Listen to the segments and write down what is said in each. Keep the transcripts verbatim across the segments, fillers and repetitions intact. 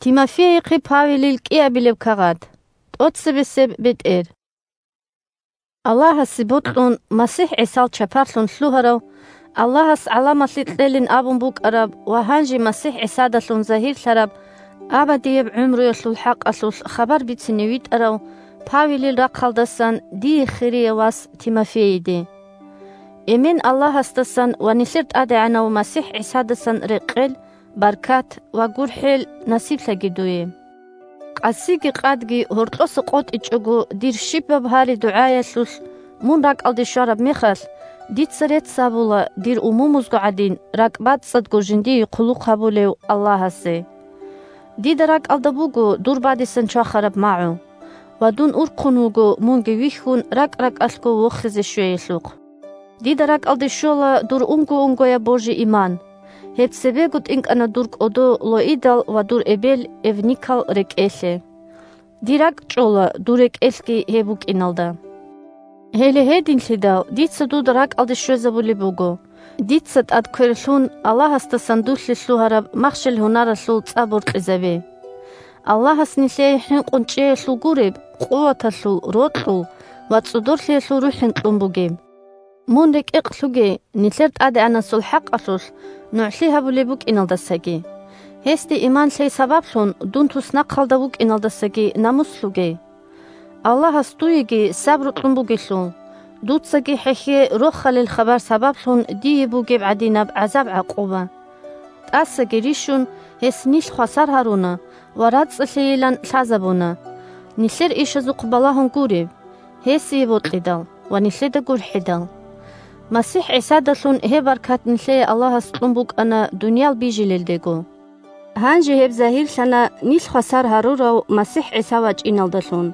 Тимофейихъе Павелил кӀиабилеб кагъат. ТӀоцебесеб бетӀер. Аллагьасе бокьун, МасихӀ ГӀисал чапарлъун лъугьарав, Аллагьас гӀаламалъе кьелин абун букӀараб ва гьанже МасихӀ ГӀисадалъун загьирлъараб абадияб гӀумруялъул хӀакъалъулъ хабар бицине витӀарав Павелил рахъалдасан дие хирияв вас Тимофейиде. Эмен Аллагьасдасан ва нилъер ТӀадегӀанав МасихӀ ГӀисадасан рекъел, баркат ва гурхӀел насиблъаги дуе. Къасиги къадги гьоркьоса къотӀичӀого дир щибаб гьари-дугӀаялъулъ мун ракӀалде щвараб мехалъ, дица рецц гьабула дир умумузго гӀадин ракӀбацӀцӀадго жиндие хъулухъ гьабулев Аллагьасе. Дида ракӀалда буго дур бадисан чвахараб магӀу, ва дун урхъун вуго мунги вихьун ракӀ-ракӀалъго вохизе щвеялъухъ. Дида ракӀалде щола дур унго-унгояб божи-иман. Гьеб цебего тӀинкӀана дур кӀодо Лоидал ва дур эбел Эвникал рекӀелъе. Дир ракӀ чӀола дур рекӀелъги гьеб букӀиналда. Гьеле гьединлъидал дица дуда ракӀалде щвезабулеб буго, дица тӀад кверлъун Аллагьасдасан дулъе лъугьараб махщел-гьунаралъул цӀа боркьизабе. Аллагьас нилъее хӀинкъун чӀеялъул гуреб къуваталъул, рокьул ва цӀодорлъиялъул рухӀин кьун бугеб. Мун рекӀекълъуге нилъер ТӀадегӀанасул хӀакъалъулъ нугӀлъи гьабулеб букӀиналдасаги, гьесде иман лъей сабаблъун дун туснахъалда вукӀиналдасаги намуслъуге. Аллагьас дуеги сабру кьун бугелъул, дуцаги хӀехье рохалил хабар сабаблъун дие бугеб гӀадинаб гӀазаб-гӀакъуба. ТӀасаги рищун, гьес нилъ хвасар гьаруна ва рацӀцӀалъейилан лъазабуна, нилъер ишазухъ балагьун гуреб, гьесие бокьидал ва нилъеда гурхӀидал. МасихӀ ГӀисадалъун гьеб баркат нилъее Аллагьас кьун букӀана дуниял бижилелдего. Гьанже гьеб загьирлъана нилъ хвасар гьарурав МасихӀ ГӀиса вачӀиналдалъун.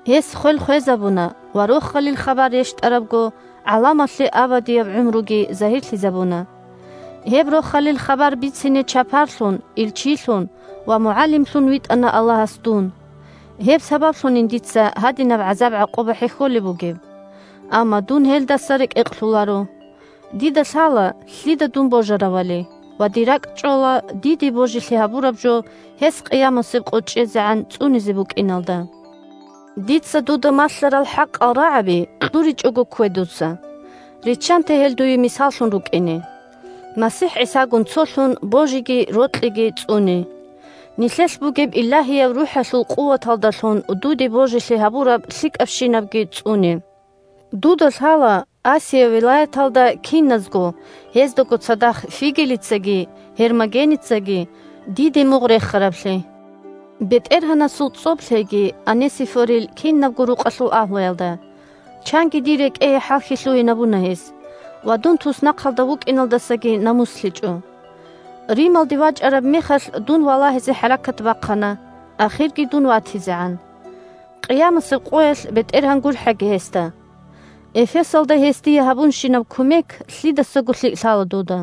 Гьес хвел хвезабуна ва рохалил хабар рещтӀарабго гӀаламалъе абадияб гӀумруги загьирлъизабуна. Гьеб рохалил хабар бицине чапарлъун, илчилъун ва мугӀалимлъун витӀана Аллагьас дун. Гьеб сабаблъунин дица гьадинаб гӀазаб-гӀакъуба хӀехьолеб бугеб. Амма дун гьелдаса рекӀекълъуларо. Дида лъала, лъида дун божаравали, ва дир ракӀ чӀола диде божилъи гьабураб жо гьес къиямасеб къо чӀезегӀан цӀунизе букӀиналда. Дица дуда малъарал хӀакъал рагӀаби кьуричӀого ккве дуца. Риччанте гьел дуе мисаллъун рукӀине. МасихӀ ГӀисагун цолъун божиги рокьиги цӀуне. Нилъелъ бугеб Илагьияб РухӀалъул къуваталдалъун дуде божилъи гьабураб лъикӀабщинабги цӀуне. Дуда лъала Асия вилаяталда киназго, гьездаго цадахъ Фигелицаги Гьермогеницаги диде мугъ рехараблъи. БетӀергьанасул цӀоб лъеги Онесифорил кинабго рукъалъул агьлуялда. Чанги дир рекӀее хӀалхьи лъугьинабуна гьес, ва дун туснахъалда вукӀиналдасаги намуслъичӀо. Рималде вачӀараб мехалъ дун валагьизе хӀаракат бахъана, ахирги дун ватизегӀан. Къиямасеб къоялъ БетӀергьан гурхӀаги гьесда. Эфесалда гьес дие гьабунщинаб кумек лъидасаго лъикӀ лъала дуда.